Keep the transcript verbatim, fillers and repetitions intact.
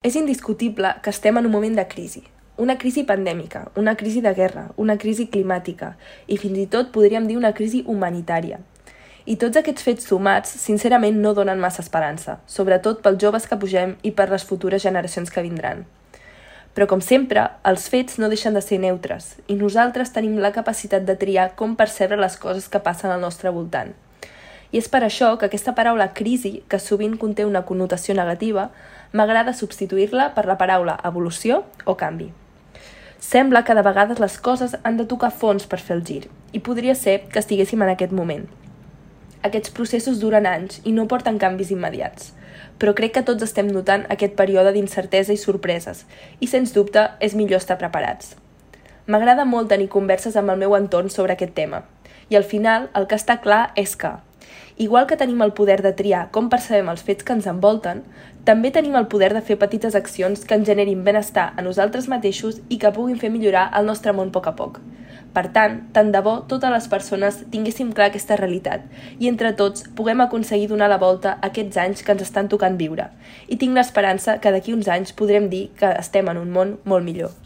És indiscutible que estem en un moment de crisi. Una crisi pandèmica, una crisi de guerra, una crisi climàtica i fins i tot podríem dir una crisi humanitària. I tots aquests fets sumats, sincerament, no donen massa esperança, sobretot pels joves que pugem i per les futures generacions que vindran. Però, com sempre, els fets no deixen de ser neutres i nosaltres tenim la capacitat de triar com percebre les coses que passen al nostre voltant. I és per això que aquesta paraula crisi, que sovint conté una connotació negativa, m'agrada substituir-la per la paraula evolució o canvi. Sembla que de vegades les coses han de tocar fons per fer el gir, i podria ser que estiguéssim en aquest moment. Aquests processos duren anys i no porten canvis immediats, però crec que tots estem notant aquest període d'incertesa i sorpreses, i sens dubte és millor estar preparats. M'agrada molt tenir converses amb el meu entorn sobre aquest tema, i al final el que està clar és que, igual que tenim el poder de triar com percebem els fets que ens envolten, també tenim el poder de fer petites accions que ens generin benestar a nosaltres mateixos i que puguin fer millorar el nostre món a poc a poc. Per tant, tant de bo totes les persones tinguéssim clar aquesta realitat i entre tots puguem aconseguir donar la volta a aquests anys que ens estan tocant viure. I tinc l'esperança que d'aquí uns anys podrem dir que estem en un món molt millor.